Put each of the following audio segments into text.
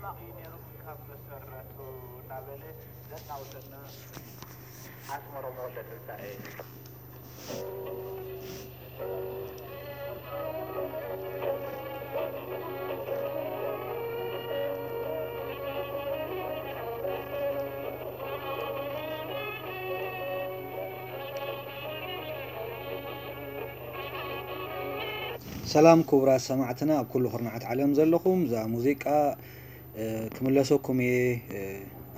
ሕማቕ እዩ ነይሩ ካብ መሰረቱ እናበለ ዘናውሰና ኣስመሮም ወልደ ትንሳኤ። ሰላም ክቡራት ሰማዕትና ኣብ ኩሉ ኩርናዓት ዓለም ዘለኹም፣ እዛ ሙዚቃ ክምለሰኩም እየ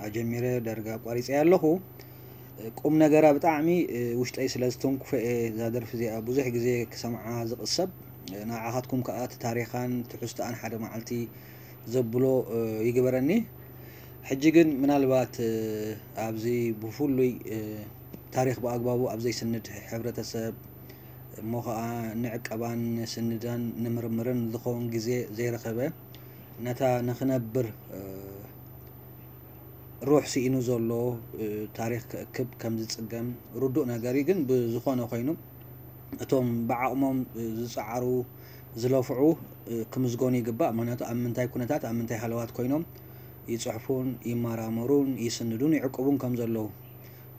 ኣጀሚረ ደርጋ ኣቋሪፀ ኣለኹ። ቁም ነገራ ብጣዕሚ ውሽጠይ ስለ ዝተንኩፈ እየ እዛ ደርፊ እዚኣ ብዙሕ ግዜ ክሰምዓ ዝቕሰብ። ንዓኻትኩም ከዓ እቲ ታሪኻን ትሕዝቶኣን ሓደ መዓልቲ ዘብሎ ይግበረኒ። ሕጂ ግን ምናልባት ኣብዚ ብፍሉይ ታሪኽ ብኣግባቡ ኣብ ዘይስንድ ሕብረተሰብ እሞ ኸዓ ንዕቀባን ንስንዳን ንምርምርን ዝኸውን ግዜ ዘይረኸበ ነታ ንኽነብር ሩሕ ስኢኑ ዘሎ ታሪኽ ክእክብ ከም ዝፅገም ርዱእ ነገር እዩ። ግን ብዝኾነ ኮይኑ እቶም ብዓቕሞም ዝፀዓሩ ዝለፍዑ ክምዝገኑ ይግባእ። ምክንያቱ ኣብ ምንታይ ኩነታት ኣብ ምንታይ ሃለዋት ኮይኖም ይፅሕፉን ይመራመሩን ይስንዱን ይዕቅቡን ከም ዘለዉ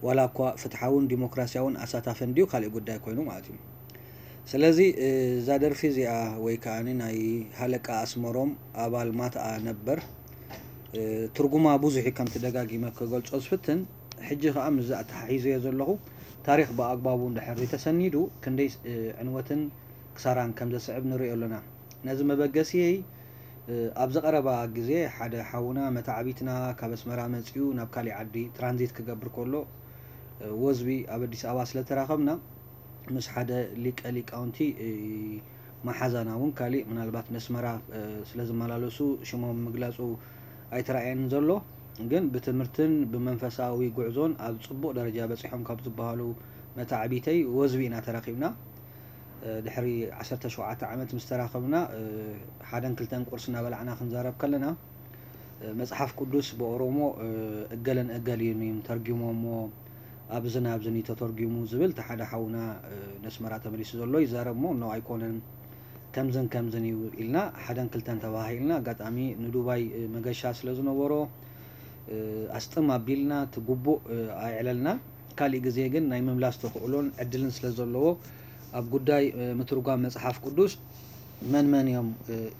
ዋላ እኳ ፍትሓውን ዲሞክራሲያውን ኣሳታፍን ድዩ ካልእ ጉዳይ ኮይኑ ማለት እዩ። ስለዚ እዛ ደርፊ እዚኣ ወይ ከዓ ናይ ሃለቃ ኣስመሮም ኣባል ማትኣ ነበር ትርጉማ ብዙሕ እዩ። ከምቲ ደጋጊመ ክገልፆ ዝፍትን ሕጂ ከዓ ምስዚ ኣተሓሒዘዮ ዘለኹ ታሪኽ ብኣግባቡ እንድሕር ተሰኒዱ ክንደይ ዕንወትን ክሳራን ከም ዘስዕብ ንሪኦ ኣለና። ነዚ መበገሲየይ ኣብዚ ቀረባ ግዜ ሓደ ሓውና መታዕቢትና ካብ ኣስመራ መፂኡ ናብ ካሊእ ዓዲ ትራንዚት ክገብር ከሎ ወዝቢ ኣብ ኣዲስ ኣበባ ስለተራኸብና ምስ ሓደ ሊቀ ሊቃውንቲ መሓዛና እውን ካሊእ ምናልባት ነስመራ ስለ ዝመላለሱ ሽሞም ምግላፁ ኣይተራእየን ዘሎ። ግን ብትምህርትን ብመንፈሳዊ ጉዕዞን ኣብ ፅቡቕ ደረጃ በፂሖም ካብ ዝበሃሉ መታዕቢተይ ወዝቢ ኢና ተራኺብና። ድሕሪ ዓሰርተ ሸውዓተ ዓመት ምስ ተራኸብና ሓደን ክልተን ቁርሲ እናበላዕና ክንዛረብ ከለና መፅሓፍ ቅዱስ ብኦሮሞ እገለን እገሊን እዮም ተርጊሞሞ ኣብዝን ኣብዝን እዩ ተተርጊሙ ዝብል እቲ ሓደ ሓውና ነስመራ ተመሊሱ ዘሎ ይዛረብ እሞ ኖ ኣይኮነን ከምዝን ከምዝን እዩ ኢልና ሓደን ክልተን ተባሃሂልና ኣጋጣሚ ንዱባይ መገሻ ስለ ዝነበሮ ኣስጥም ኣቢልና እቲ ግቡእ ኣየዕለልናን። ካሊእ ግዜ ግን ናይ ምምላስ ተኽእሎን ዕድልን ስለ ዘለዎ ኣብ ጉዳይ ምትርጓም መፅሓፍ ቅዱስ መን መን እዮም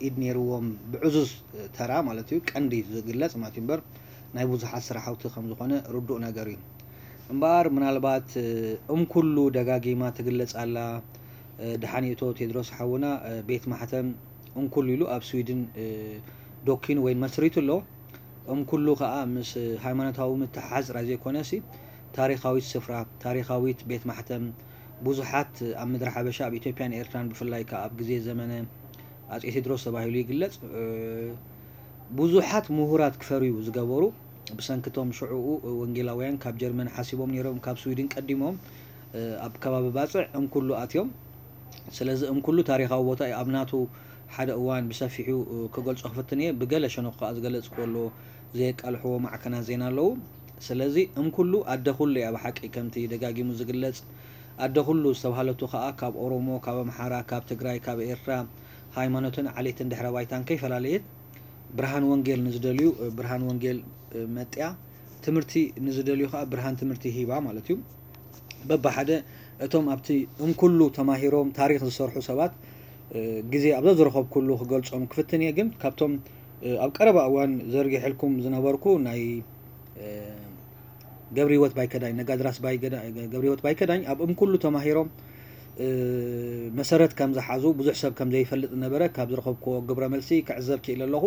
ኢድ ነይርዎም ብዕዙዝ ተራ ማለት እዩ ቀንዲ ዝግለፅ ማለት እዩ እምበር ናይ ብዙሓት ስራሕቲ ከም ዝኾነ ርዱእ ነገር እዩ። እምበኣር ምናልባት እምኩሉ ደጋጊማ ትግለፅ ኣላ። ድሓን ይእቶ ቴድሮስ ሓውና ቤት ማሕተም እንኩሉ ኢሉ ኣብ ስዊድን ዶኪኑ ወይ መስሪቱ ኣሎ። እምኩሉ ከዓ ምስ ሃይማኖታዊ ምትሕሓዝ ጥራይ ዘይኮነሲ ታሪኻዊት ስፍራ፣ ታሪኻዊት ቤት ማሕተም ብዙሓት ኣብ ምድሪ ሓበሻ ኣብ ኢትዮጵያን ኤርትራን ብፍላይ ከዓ ኣብ ግዜ ዘመነ ኣጼ ቴድሮስ ተባሂሉ ይግለጽ ብዙሓት ምሁራት ክፈርዩ ዝገበሩ ብሰንክቶም ሽዑኡ ወንጌላውያን ካብ ጀርመን ሓሲቦም ነይሮም ካብ ስዊድን ቀዲሞም ኣብ ከባቢ ባፅዕ እምኩሉ ኣትዮም። ስለዚ እምኩሉ ታሪኻዊ ቦታ እዩ ኣብ ናቱ ሓደ እዋን ብሰፊሑ ክገልጾ ክፍትን እየ። ብገለ ሸነኹ ከዓ ዝገለጽክዎ ኣሎ ዘየቃልሕዎ ማዕከናት ዜና ኣለዉ። ስለዚ እምኩሉ ኣደ ኩሉ እያ ብሓቂ ከምቲ ደጋጊሙ ዝግለጽ ኣደ ኩሉ ዝተባህለቱ ከዓ ካብ ኦሮሞ፣ ካብ ኣምሓራ፣ ካብ ትግራይ፣ ካብ ኤርትራ ሃይማኖትን ዓሌትን ድሕረ ባይታን ከይፈላለየት ብርሃን ወንጌል ንዝደልዩ ብርሃን ወንጌል መጥያ ትምህርቲ ንዝደልዩ ከዓ ብርሃን ትምህርቲ ሂባ ማለት እዩ። በብሓደ እቶም ኣብቲ እንኩሉ ተማሂሮም ታሪኽ ዝሰርሑ ሰባት ግዜ ኣብ ዘዝረኸብኩሉ ክገልጾም ክፍትን እየ ግን ካብቶም ኣብ ቀረባ እዋን ዘርጊሐልኩም ዝነበርኩ ናይ ገብረ ህይወት ባይከዳኝ ነጋድራስ ገብረ ህይወት ባይከዳኝ ኣብ እምኩሉ ተማሂሮም መሰረት ከም ዝሓዙ ብዙሕ ሰብ ከም ዘይፈልጥ ነበረ ካብ ዝረኸብክዎ ግብረ መልሲ ክዕዘብ ክኢለ ኣለኹ።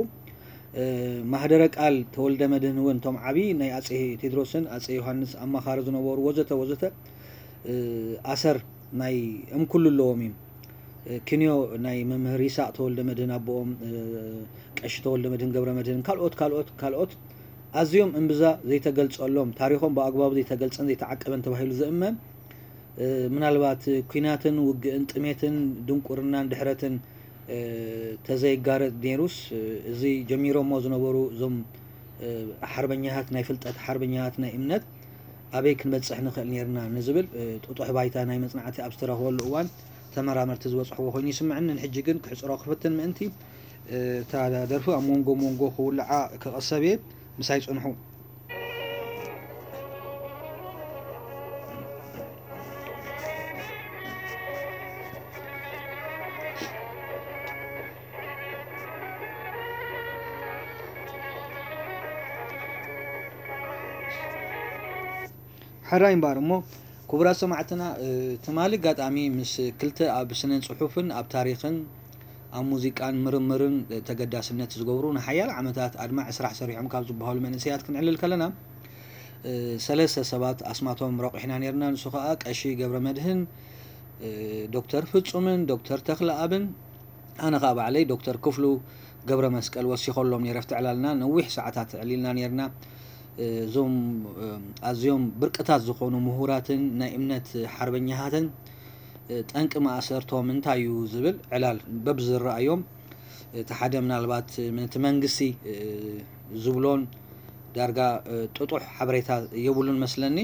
ማህደረ ቃል ተወልደ መድህን እውን እቶም ዓብዪ ናይ ኣጼ ቴድሮስን ኣጼ ዮሃንስ ኣማኻሪ ዝነበሩ ወዘተ ወዘተ ኣሰር ናይ እምኩሉ ኣለዎም እዩ። ክንዮ ናይ መምህር ይሳቅ ተወልደ መድህን ኣቦኦም ቀሺ ተወልደ መድህን ገብረ መድህን ካልኦት ካልኦት ካልኦት ኣዝዮም እምብዛ ዘይተገልጸሎም ታሪኾም ብኣግባቡ ዘይተገልጸን ዘይተዓቀበን ተባሂሉ ዝእመን ምናልባት ኲናትን ውግእን ጥሜትን ድንቁርናን ድሕረትን ተዘይጋረድ ነይሩስ እዚ ጀሚሮሞ ዝነበሩ እዞም ሓርበኛታት ናይ ፍልጠት ሓርበኛታት ናይ እምነት ኣበይ ክንበፅሕ ንኽእል ነይርና ንዝብል ጥጡሕ ባይታ ናይ መፅናዕቲ ኣብ ዝተረኽበሉ እዋን ተመራመርቲ ዝበፅሕዎ ኮይኑ ይስምዐኒ። ንሕጂ ግን ክሕፅሮ ክፍትን ምእንቲ እታ ደርፊ ኣብ መንጎ መንጎ ክውልዓ ክቐሰብ እየ። ምሳይ ጽንሑ። ሕራይ እምበኣር እሞ፣ ክቡራት ሰማዕትና፣ እ፣ ትማሊ ኣጋጣሚ ምስ ክልተ ኣብ ስነ ጽሑፍን ኣብ ታሪኽን ኣብ ሙዚቃን ምርምርን ተገዳስነት ዝገብሩ ንሓያሎ ዓመታት ኣድማዒ ስራሕ ሰሪሖም ካብ ዝበሃሉ መንእሰያት ክንዕልል ከለና፣ እ፣ ሰለስተ ሰባት ኣስማቶም ረቑሕና ነይርና። ንሱ ኸኣ ቀሺ ገብረ መድህን፣ እ፣ ዶክተር ፍጹምን ዶክተር ተኽለኣብን ኣነ ኸኣ ባዕለይ ዶክተር ክፍሉ ገብረ መስቀል ወሲኸሎም ነይረ። ኣብቲ ዕላልና ነዊሕ ሰዓታት ዕሊልና ነይርና። እዞም፣ እ፣ ኣዝዮም ብርቅታት ዝኾኑ ምሁራትን ናይ እምነት ሓርበኛታትን፣ እ፣ ጠንቂ ማእሰርቶም እንታይ እዩ ዝብል ዕላል በብዝረኣዮም፣ እቲ ሓደ ምናልባት ነቲ መንግስቲ፣ እ፣ ዝብሎን ዳርጋ፣ እ፣ ጥጡሕ ሓበሬታ የብሉን መስለኒ።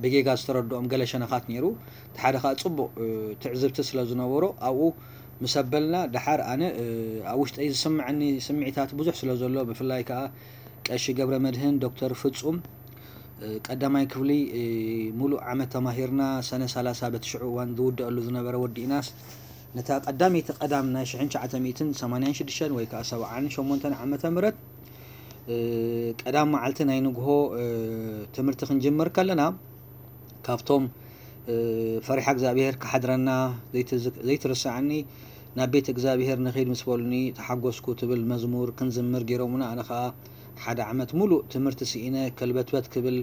ብጌጋ ዝተረድኦም ገለ ሸነኻት ነይሩ። እቲ ሓደ ኸኣ ጽቡቕ፣ እ፣ ትዕዝብቲ ስለ ዝነበሮ ኣብኡ ምስ ኣበልና፣ ደሓር ኣነ፣ እ፣ ኣብ ውሽጠይ ዝስምዐኒ ስምዒታት ብዙሕ ስለ ዘሎ፣ ብፍላይ ከኣ ቀሺ ገብረ መድህን፣ ዶክተር ፍጹም፣ እ፣ ቀዳማይ ክፍሊ፣ እ፣ ሙሉእ ዓመት ተማሂርና፣ ሰነ ሰላሳ በቲ ሽዑ እዋን ዝውደኣሉ ዝነበረ ወዲእናስ፣ ነታ ቀዳመይቲ ቀዳም ናይ ሽሕን ትሽዓተ ሚእትን ሰማንያን ሽዱሽተን ወይ ከኣ ሰብዓን ሸሞንተን ዓመተ ምህረት፣ እ፣ ቀዳም መዓልቲ ናይ ንግሆ፣ እ፣ ትምህርቲ ክንጅምር ከለና፣ ካብቶም፣ እ፣ ፈሪሓ እግዚኣብሔር ክሓድረና ዘይትዝ-፣ ዘይትርስዓኒ፣ ናብ ቤት እግዚኣብሔር ንኺድ ምስ በሉኒ ተሓጎስኩ ትብል መዝሙር ክንዝምር ገይሮምና። ኣነ ኸኣ ሓደ ዓመት ሙሉእ ትምህርቲ ስኢነ ከልበትበት ክብል፣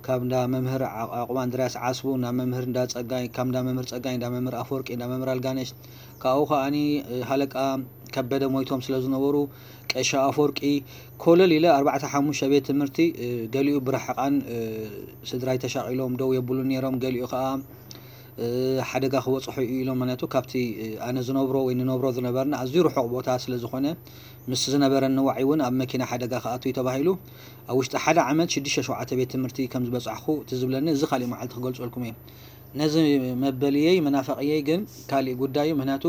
ካብ እንዳ መምህር ዓ-፣ ዓቑብ ኣንድርያስ ዓስቡ፣ እንዳ መምህር እንዳ ጸጋይ፣ ካብ እንዳ መምህር ጸጋይ፣ እንዳ መምህር ኣፈወርቂ፣ እንዳ መምህር ኣልጋነሽ፣ ካብኡ ከኣኒ፣ እ፣ ሃለቃ ከበደ ሞይቶም ስለ ዝነበሩ፣ ቀሺ ኣፈወርቂ ኮለል ኢለ ኣርባዕተ ሓሙሽተ ቤት ትምህርቲ፣ እ፣ ገሊኡ ብርሕቓን፣ እ፣ ስድራይ ተሻቒሎም ደው የብሉን ነይሮም፣ ገሊኡ ከኣ፣ እ፣ ሓደጋ ክበጽሖ እዩ ኢሎም፣ ምኽንያቱ ካብቲ፣ እ፣ ኣነ ዝነብሮ ወይ ንነብሮ ዝነበርና ኣዝዩ ርሑቕ ቦታ ስለ ዝኾነ፣ ምስ ዝነበረኒ ዋዒ እውን ኣብ መኪና ሓደጋ ክኣቱ እዩ ተባሂሉ። ኣብ ውሽጢ ሓደ ዓመት ሽዱሽተ ሸውዓተ ቤት ትምህርቲ ከም ዝበጻሕኩ እቲ ዝብለኒ፣ እዚ ካሊእ መዓልቲ ክገልጸልኩም እየ። ነዚ መበልየይ መናፈቕየይ ግን ካሊእ ጉዳይ እዩ፣ ምኽንያቱ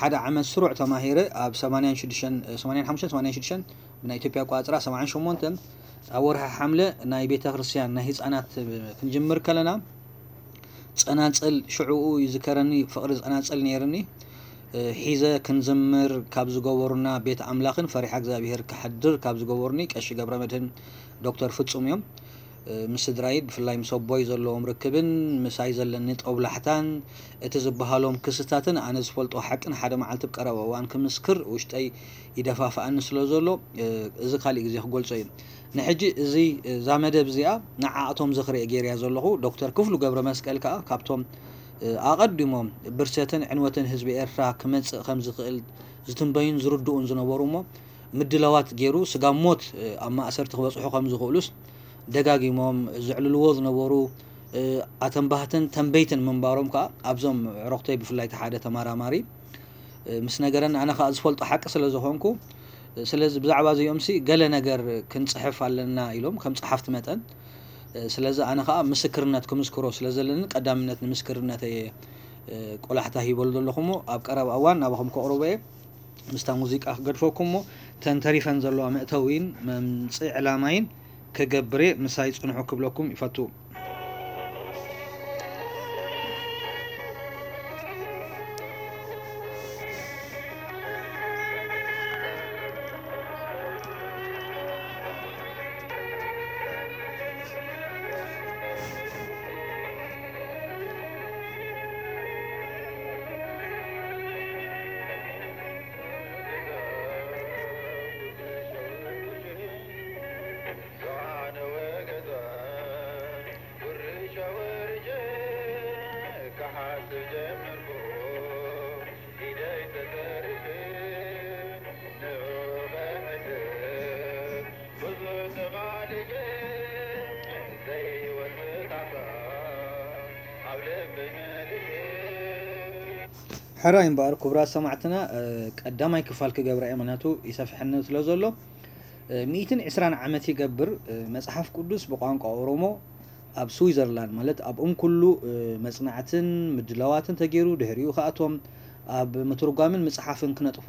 ሓደ ዓመት ስሩዕ ተማሂረ ኣብ ሰማንያን ሽዱሽተን፣ ሰማንያን ሓሙሽተን፣ ሰማንያን ሽዱሽተን ብናይ ኢትዮጵያ ኣቆጻጽራ ሰብዓን ሸሞንተን ኣብ ወርሒ ሓምለ ናይ ቤተ ክርስቲያን ናይ ህጻናት ክንጅምር ከለና፣ ጸናጽል ሽዑኡ ይዝከረኒ፣ ፍቕሪ ጸናጽል ነይርኒ። እ፣ ሒዘ ክንዝምር ካብ ዝገበሩና ቤት ኣምላኽን ፈሪሓ እግዚኣብሔር ክሓድር ካብ ዝገበሩኒ ቀሺ ገብረ መድህን ዶክተር ፍጹም እዮም። እ፣ ምስ ስድራይ ብፍላይ ምስ ኣቦይ ዘለዎም ርክብን ምሳይ ዘለኒ ጦብላሕታን እቲ ዝበሃሎም ክስታትን ኣነ ዝፈልጦ ሓቅን ሓደ መዓልቲ ብቀረባ እዋን ክምስክር ውሽጠይ ይደፋፍኣኒ ስለ ዘሎ፣ እ፣ እዚ ካሊእ ግዜ ክገልጾ እዩ። ንሕጂ እዚ፣ እዛ መደብ እዚኣ ንዓኣቶም ዝኽሪ እየ ገይረያ ዘለኹ። ዶክተር ክፍሉ ገብረ መስቀል ከኣ ካብቶም፣ እ፣ ኣቐዲሞም ብርሰትን ዕንወትን ህዝቢ ኤርትራ ክመጽእ ከም ዝኽእል ዝትንበዩን ዝርድኡን ዝነበሩ እሞ ምድላዋት ገይሩ ስጋብ ሞት፣ እ፣ ኣብ ማእሰርቲ ክበጽሑ ከም ዝኽእሉስ ደጋጊሞም ዘዕልልዎ ዝነበሩ፣ እ፣ ኣተንባህትን ተንበይትን ምንባሮም ከኣ ኣብዞም ዕረኽተይ ብፍላይ እቲ ሓደ ተመራማሪ እ፣ ምስ ነገረኒ፣ ኣነ ኸኣ ዝፈልጦ ሓቂ ስለ ዝኾንኩ፣ እ፣ ስለዚ ብዛዕባ እዚኦምሲ ገለ ነገር ክንጽሕፍ ኣለና ኢሎም ከም ጸሓፍቲ መጠን። እ፣ ስለዚ ኣነ ኸኣ ምስክርነት ክምስክሮ ስለ ዘለኒ ቀዳምነት ንምስክርነት እየ፣ እ፣ ቆላሕታ ሂበሉ ዘለኹ እሞ ኣብ ቀረባ እዋን ናባኹም ከቕርቦ እየ። ምስታ ሙዚቃ ክገድፈኩም እሞ እተን ተሪፈን ዘለዋ መእተዊን መምጽኢ ዕላማይን ክገብር እየ። ምሳይ ጽንሑ ክብለኩም ይፈቱ። ሕራይ እምበኣር ክቡራት ሰማዕትና፣ እ፣ ቀዳማይ ክፋል ክገብራ እየ፣ ምኽንያቱ ይሰፍሐኒ ስለ ዘሎ። እ፣ ሚእትን ዕስራን ዓመት ይገብር፣ እ፣ መጽሓፍ ቅዱስ ብቋንቋ ኦሮሞ ኣብ ስዊዘርላንድ፣ ማለት ኣብ እም ኩሉ፣ እ፣ መጽናዕትን ምድላዋትን ተገይሩ፣ ድሕሪኡ ከኣ እቶም ኣብ ምትርጓምን ምጽሓፍን ክነጥፉ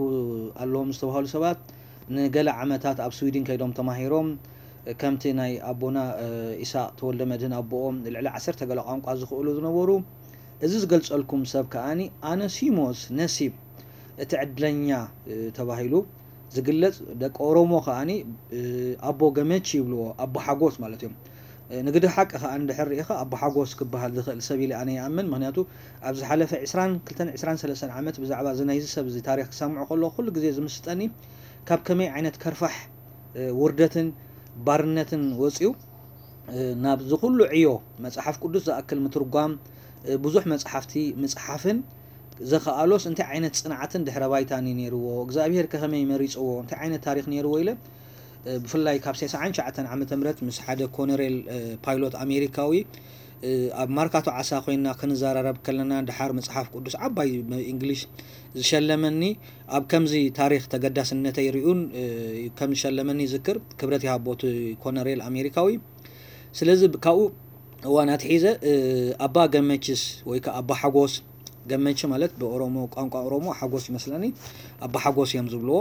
ኣለዎም ዝተባህሉ ሰባት ንገለ ዓመታት ኣብ ስዊድን ከይዶም ተማሂሮም፣ ከምቲ ናይ ኣቦና ኢሳቕ ተወልደ መድህን ኣቦኦም ልዕሊ ዓሰርተ ገለ ቋንቋ ዝኽእሉ ዝነበሩ። እዚ ዝገልጸልኩም ሰብ ከኣኒ ኣነሲሞስ ነሲብ እቲ ዕድለኛ ተባሂሉ ዝግለጽ፣ ደቂ ኦሮሞ ከኣኒ ኣቦ ገመች ይብልዎ፣ ኣቦ ሓጎስ ማለት እዮም። ንግዲ ሓቂ ከኣ እንድሕር ርኢኻ ኣቦ ሓጎስ ክበሃል ዝኽእል ሰብ ኢለ ኣነ ይኣምን። ምኽንያቱ ኣብ ዝሓለፈ ዕስራን ክልተን ዕስራን ሰለስተን ዓመት ብዛዕባ እዚ ናይዚ ሰብ እዚ ታሪኽ ክሰምዖ ከለኹ ኩሉ ግዜ ዝምስጠኒ ካብ ከመይ ዓይነት ከርፋሕ ውርደትን ባርነትን ወጺኡ ናብ ዝኹሉ ዕዮ መጽሓፍ ቅዱስ ዝኣክል ምትርጓም፣ ብዙሕ መጽሓፍቲ ምጽሓፍን ዘኸኣሎስ እንታይ ዓይነት ጽንዓትን ድሕረ ባይታን እዩ ነይርዎ? እግዚኣብሔር ከ ከመይ መሪጽዎ? እንታይ ዓይነት ታሪኽ ነይርዎ? ኢለ ብፍላይ ካብ ሰስዓን ትሽዓተን ዓመተ ምህረት ምስ ሓደ ኮነሬል ፓይሎት ኣሜሪካዊ ኣብ ማርካቶ ዓሳ ኮይና ክንዘራረብ ከለና፣ ድሓር መጽሓፍ ቅዱስ ዓባይ እንግሊሽ ዝሸለመኒ፣ ኣብ ከምዚ ታሪኽ ተገዳስነተይ ርኡን ከም ዝሸለመኒ ይዝክር። ክብረት ይሃቦ እቲ ኮነሬል ኣሜሪካዊ። ስለዚ ካብኡ እዋን ኣትሒዘ ኣባ ገመችስ ወይ ከዓ ኣባ ሓጎስ፣ ገመች ማለት ብኦሮሞ ቋንቋ ኦሮሞ ሓጎስ ይመስለኒ፣ ኣባ ሓጎስ እዮም ዝብልዎ።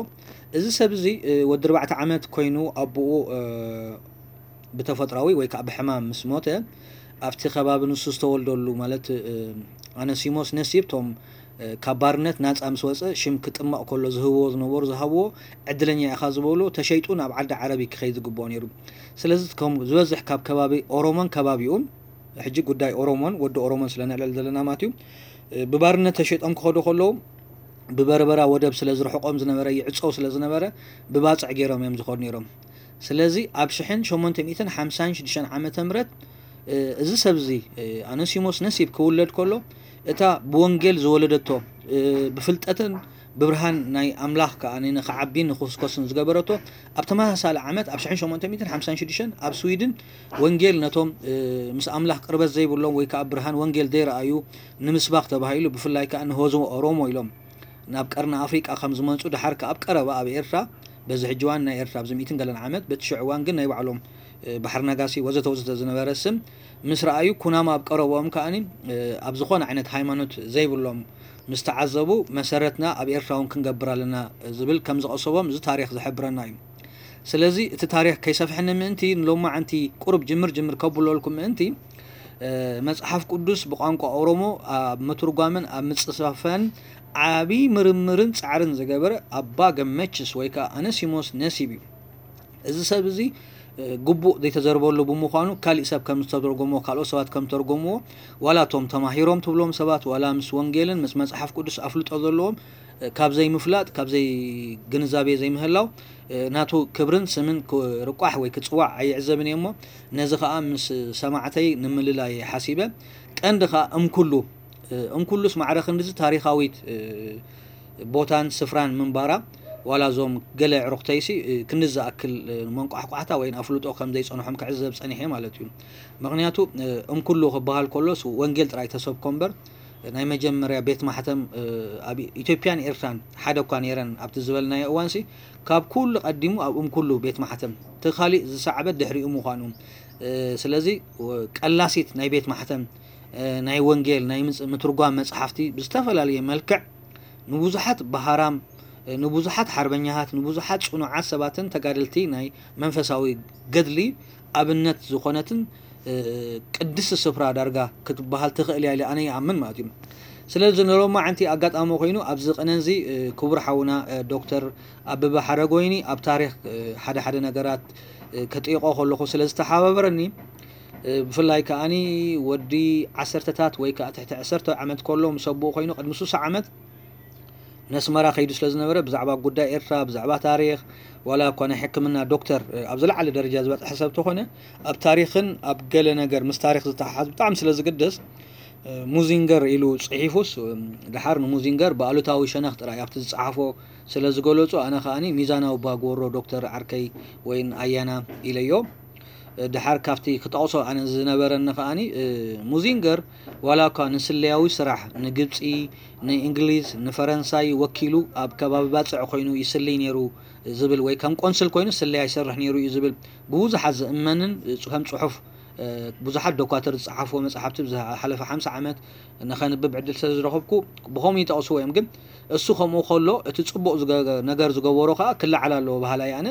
እዚ ሰብ እዚ ወዲ ኣርባዕተ ዓመት ኮይኑ ኣቦኡ ብተፈጥራዊ ወይ ከዓ ብሕማም ምስ ሞተ፣ ኣብቲ ከባቢ ንሱ ዝተወልደሉ ማለት ኣነሲሞስ ነሲብ ቶም ካብ ባርነት ናፃ ምስ ወፀ ሽም ክጥመቕ ከሎ ዝህብዎ ዝነበሩ ዝሃብዎ ዕድለኛ ኢኻ ዝበሉ ተሸይጡ ናብ ዓዲ ዓረብ ክኸይድ ዝግብኦ ነይሩ። ስለዚ ከም ዝበዝሕ ካብ ከባቢ ኦሮሞን ከባቢኡን ሕጂ ጉዳይ ኦሮሞን ወዲ ኦሮሞን ስለ ነዕለል ዘለና ማለት እዩ። ብባርነት ተሸይጦም ክኸዱ ከለዉ ብበርበራ ወደብ ስለ ዝርሕቆም ዝነበረ ይዕፀው ስለ ዝነበረ ብባፅዕ ገይሮም እዮም ዝኸዱ ነይሮም። ስለዚ ኣብ ሽሕን ሸሞንተ ሚእትን ሓምሳን ሽዱሽተን ዓመተ ምህረት እዚ ሰብ እዚ ኣነሲሞስ ነሲብ ክውለድ ከሎ እታ ብወንጌል ዝወለደቶ ብፍልጠትን ብብርሃን ናይ ኣምላኽ ከኣ ንኽዓቢን ንኽስኮስን ዝገበረቶ ኣብ ተመሳሳሊ ዓመት ኣብ ሽሕን ሸሞንተ ሚእትን ሓምሳን ሽዱሽተን ኣብ ስዊድን ወንጌል ነቶም ምስ ኣምላኽ ቅርበት ዘይብሎም ወይ ከዓ ብርሃን ወንጌል ዘይረኣዩ ንምስባኽ ተባሂሉ ብፍላይ ከዓ ንህዝቢ ኦሮሞ ኢሎም ናብ ቀርኒ ኣፍሪቃ ከም ዝመጹ ድሓር ከኣ ኣብ ቀረባ ኣብ ኤርትራ በዚ ሕጂ እዋን ናይ ኤርትራ ኣብዚ ሚእትን ገለን ዓመት በቲ ሽዑ እዋን ግን ናይ ባዕሎም ባሕሪ ነጋሲ ወዘተ ወዘተ ዝነበረ ስም ምስ ረኣዩ ኩናማ ኣብ ቀረብኦም ከኣኒ ኣብ ዝኾነ ዓይነት ሃይማኖት ዘይብሎም ምስ ተዓዘቡ መሰረትና ኣብ ኤርትራ እውን ክንገብር ኣለና ዝብል ከም ዝቐሰቦም እዚ ታሪኽ ዝሕብረና እዩ። ስለዚ እቲ ታሪኽ ከይሰፍሐኒ ምእንቲ ንሎማዓንቲ ቁሩብ ጅምር ጅምር ከብለልኩም ምእንቲ መጽሓፍ ቅዱስ ብቋንቋ ኦሮሞ ኣብ ምትርጓምን ኣብ ምጽፋፍን ዓቢ ምርምርን ጻዕርን ዝገበረ ኣባ ገመችስ ወይ ከኣ ኣነሲሞስ ነሲብ እዩ። እዚ ሰብ እዚ ግቡእ ዘይተዘርበሉ ብምዃኑ ካሊእ ሰብ ከም ዝተርጎሞ ካልኦት ሰባት ከም ዝተርጎምዎ ዋላ እቶም ተማሂሮም ትብሎም ሰባት ዋላ ምስ ወንጌልን ምስ መጽሓፍ ቅዱስ ኣፍልጦ ዘለዎም ካብ ዘይምፍላጥ ካብ ዘይግንዛቤ ዘይምህላው ናቱ ክብርን ስምን ክርቋሕ ወይ ክጽዋዕ ኣይዕዘብን እየ እሞ ነዚ ከኣ ምስ ሰማዕተይ ንምልላይ ሓሲበ ቀንዲ ከኣ እምኩሉ እምኩሉስ ማዕረ ክንድዚ ታሪኻዊት ቦታን ስፍራን ምንባራ ዋላ እዞም ገለ ዕሩኽተይሲ ክንድዚ ዝኣክል መንቋሕቋሕታ ወይ ኣፍልጦ ከም ዘይጸንሖም ክዕዘብ ጸኒሐ ማለት እዩ። ምክንያቱ እምኩሉ ክበሃል ከሎስ ወንጌል ጥራይ ተሰብኮ እምበር ናይ መጀመርያ ቤት ማሕተም ኣብ ኢትዮጵያን ኤርትራን ሓደ እኳ ነይረን ኣብቲ ዝበልናዮ እዋንሲ ካብ ኩሉ ቀዲሙ ኣብ እምኩሉ ቤት ማሕተም እቲ ካሊእ ዝሰዕበ ድሕሪኡ ምዃኑ ስለዚ ቀላሲት ናይ ቤት ማሕተም ናይ ወንጌል ናይ ምትርጓም መጽሓፍቲ ብዝተፈላለየ መልክዕ ንብዙሓት ብሃራም ንብዙሓት ሓርበኛታት ንብዙሓት ጽኑዓት ሰባትን ተጋደልቲ ናይ መንፈሳዊ ገድሊ ኣብነት ዝኾነትን ቅድስቲ ስፍራ ዳርጋ ክትበሃል ትኽእል እያ ኢለ ኣነ ይኣምን ማለት እዩ። ስለዚ ንሎማዓንቲ ኣጋጣሚ ኮይኑ ኣብዚ ቅነ እዚ ክቡር ሓውና ዶክተር ኣበበ ሓረጎይኒ ኣብ ታሪኽ ሓደ ሓደ ነገራት ከጥይቆ ከለኹ ስለ ዝተሓባበረኒ ብፍላይ ከኣኒ ወዲ ዓሰርተታት ወይ ከዓ ትሕቲ ዕሰርተ ዓመት ከሎ ምስ ኣቦኡ ኮይኑ ቅድሚ ሱሳ ዓመት ነስመራ ከይዱ ስለ ዝነበረ ብዛዕባ ጉዳይ ኤርትራ ብዛዕባ ታሪኽ ዋላ እኳ ናይ ሕክምና ዶክተር ኣብ ዝለዓለ ደረጃ ዝበፅሐ ሰብ ተኾነ ኣብ ታሪኽን ኣብ ገለ ነገር ምስ ታሪኽ ዝተሓሓዝ ብጣዕሚ ስለ ዝግደስ ሙዚንገር ኢሉ ፅሒፉስ ድሓር ንሙዚንገር ብኣሉታዊ ሸነኽ ጥራይ ኣብቲ ዝፀሓፎ ስለ ዝገለፁ ኣነ ከኣኒ ሚዛናዊ ባግወሮ ዶክተር ዓርከይ ወይን ኣያና ኢለዮ። ድሓር ካብቲ ክጠቕሶ ኣነ ዝነበረኒ ከኣኒ ሙዚንገር ዋላ እኳ ንስለያዊ ስራሕ ንግብፂ ንእንግሊዝ ንፈረንሳይ ወኪሉ ኣብ ከባቢ ባፅዕ ኮይኑ ይስልይ ነይሩ ዝብል ወይ ከም ቆንስል ኮይኑ ስለያ ይሰርሕ ነይሩ እዩ ዝብል ብብዙሓት ዝእመንን ከም ፅሑፍ ብዙሓት ዶኳትር ዝጸሓፍዎ መጽሓፍቲ ዝሓለፈ ሓምሳ ዓመት ንኸንብብ ዕድል ስለ ዝረኸብኩ ብኸምኡ ይጠቕስዎ እዮም። ግን እሱ ከምኡ ከሎ እቲ ጽቡቕ ነገር ዝገበሮ ከኣ ክለዓል ኣለዎ በሃላይ ኣነ።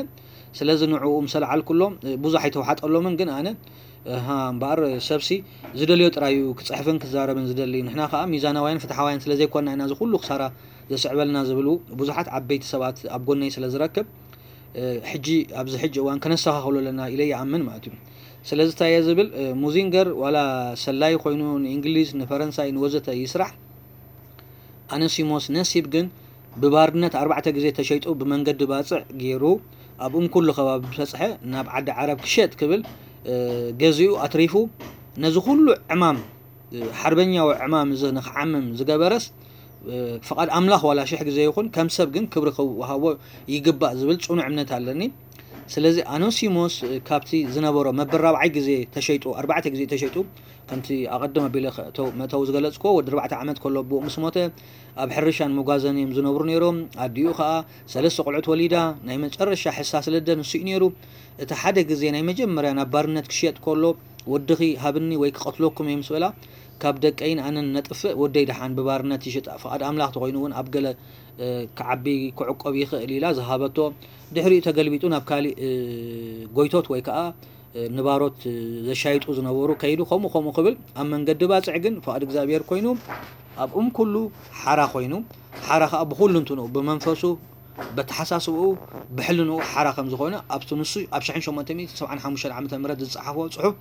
ስለዚ ንዕኡ ምስ ኣልዓልኩሎም ብዙሕ ኣይተዋሓጠሎምን። ግን ኣነ እምበኣር ሰብሲ ዝደልዮ ጥራይ እዩ ክጽሕፍን ክዛረብን ዝደሊ። ንሕና ከኣ ሚዛናውያን ፍትሓውያን ስለ ዘይኮና ኢና እዚ ኩሉ ክሳራ ዘስዕበልና ዝብሉ ብዙሓት ዓበይቲ ሰባት ኣብ ጎነይ ስለ ዝረክብ ሕጂ ኣብዚ ሕጂ እዋን ከነስተኻኽሎ ኣለና ኢለ ይኣምን ማለት እዩ። ስለዚ እንታይ እየ ዝብል፣ ሙዚንገር ዋላ ሰላይ ኮይኑ ንእንግሊዝ ንፈረንሳይ ንወዘተ ይስራሕ፣ ኣነሲሞስ ነሲብ ግን ብባርነት ኣርባዕተ ግዜ ተሸይጡ ብመንገዲ ባፅዕ ገይሩ ኣብ እንኩሉ ከባቢ በፅሐ ናብ ዓዲ ዓረብ ክሸጥ ክብል ገዚኡ ኣትሪፉ ነዚ ኩሉ ዕማም ሓርበኛዊ ዕማም እዚ ንክዓምም ዝገበረስ ፍቓድ ኣምላኽ ዋላ ሽሕ ግዜ ይኹን ከም ሰብ ግን ክብሪ ክወሃቦ ይግባእ ዝብል ፅኑዕ እምነት ኣለኒ። ስለዚ ኣኖሲሞስ ካብቲ ዝነበሮ መበል ራብዓይ ግዜ ተሸይጡ ኣርባዕተ ግዜ ተሸይጡ ከምቲ ኣቐድም ኣቢለ መእተዊ ዝገለፅኮ ወዲ ኣርባዕተ ዓመት ከሎ ኣቦኡ ምስ ሞተ ኣብ ሕርሻን መጓዘን እዮም ዝነብሩ ነይሮም። ኣዲኡ ከዓ ሰለስተ ቆልዑት ወሊዳ ናይ መጨረሻ ሕሳስ ልደ ንሱ እዩ ነይሩ። እቲ ሓደ ግዜ ናይ መጀመርያ ናብ ባርነት ክሽየጥ ከሎ ወድኺ ሃብኒ ወይ ክቐትለኩም እየ ምስ በላ ካብ ደቀይን ኣነን ነጥፍእ ወደይ ደሓን ብባርነት ይሽጣ ፍቓድ ኣምላኽ ተኾይኑ እውን ኣብ ገለ ክዓቢ ክዕቆብ ይኽእል ኢላ ዝሃበቶ ድሕሪኡ ተገልቢጡ ናብ ካሊእ ጎይቶት ወይ ከዓ ንባሮት ዘሻይጡ ዝነበሩ ከይዱ ከምኡ ከምኡ ክብል ኣብ መንገዲ ባፅዕ ግን ፍቓድ እግዚኣብሔር ኮይኑ ኣብኡም ኩሉ ሓራ ኮይኑ ሓራ ከዓ ብኩሉ እንትንኡ ብመንፈሱ በተሓሳስብኡ ብሕልንኡ ሓራ ከም ዝኾነ ኣብቲ ንሱ ኣብ ሽሕን ሸሞንተ ሚእትን ሰብዓን ሓሙሽተን ዓመተ ምህረት ዝፀሓፎ ፅሑፍ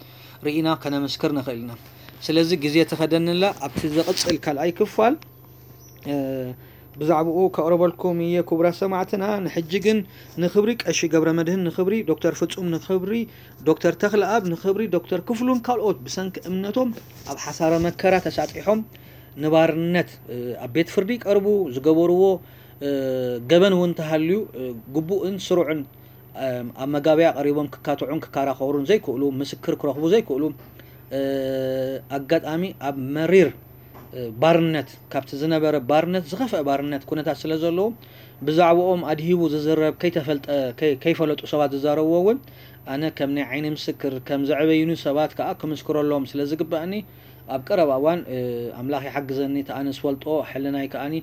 ርኢና ከነመስክር ንኽእል ኢና። ስለዚ ግዜ ተኸደንላ ኣብቲ ዘቕፅል ካልኣይ ክፋል ብዛዕባኡ ከቕርበልኩም እየ ክቡራት ሰማዕትና። ንሕጂ ግን ንክብሪ ቀሺ ገብረ መድህን ንክብሪ ዶክተር ፍጹም ንክብሪ ዶክተር ተኽለኣብ ንክብሪ ዶክተር ክፍሉን ካልኦት ብሰንኪ እምነቶም ኣብ ሓሳረ መከራ ተሳጢሖም ንባርነት ኣብ ቤት ፍርዲ ይቀርቡ ዝገበርዎ ገበን እውን ተሃልዩ ግቡእን ስሩዕን ኣብ መጋበያ ቀሪቦም ክካትዑን ክከራኸሩን ዘይክእሉ ምስክር ክረኽቡ ዘይክእሉ ኣጋጣሚ ኣብ መሪር ባርነት ካብቲ ዝነበረ ባርነት ዝኸፍአ ባርነት ኩነታት ስለ ዘለዎም ብዛዕባኦም ኣድሂቡ ዝዝረብ ከይተፈልጠ ከይፈለጡ ሰባት ዝዛረብዎ እውን ኣነ ከም ናይ ዓይኒ ምስክር ከም ዘዕበዩኒ ሰባት ከዓ ክምስክረሎም ስለ ዝግባእኒ ኣብ ቀረባ እዋን ኣምላኽ ይሓግዘኒ እቲ ኣነ ዝፈልጦ ሕልናይ ከዓኒ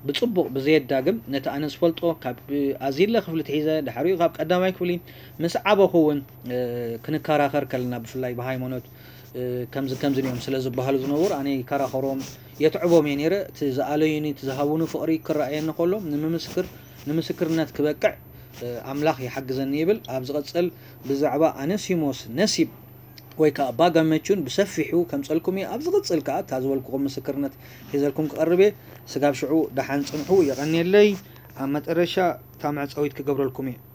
ብጽቡቕ ብዘየዳግም ነቲ ኣነ ዝፈልጦ ካብ ኣዚለ ክፍሊ ትሒዘ ድሕሪኡ ካብ ቀዳማይ ክፍሊ ምስ ዓበኹ እውን ክንከራኸር ከለና ብፍላይ ብሃይማኖት ከምዚ ከምዚ እዮም ስለ ዝበሃሉ ዝነበሩ ኣነ ይከራኸሮም የትዕቦም እየ ነይረ። እቲ ዝኣለዩኒ እቲ ዝሃቡኒ ፍቕሪ ክረኣየኒ ከሎ ንምምስክር ንምስክርነት ክበቅዕ ኣምላኽ ይሓግዘኒ ይብል። ኣብ ዝቐጽል ብዛዕባ ኣነሲሞስ ነሲብ ወይ ከዓ ባጋመቹን ብሰፊሑ ከምፀልኩም እየ። ኣብ ዝቕፅል ከዓ እታ ዝበልኩኹም ምስክርነት ሒዘልኩም ክቐርብ እየ። ስጋብ ሽዑ ደሓን ፅንሑ። የቐንየለይ። ኣብ መጠረሻ እታ መዕፀዊት ክገብረልኩም እየ።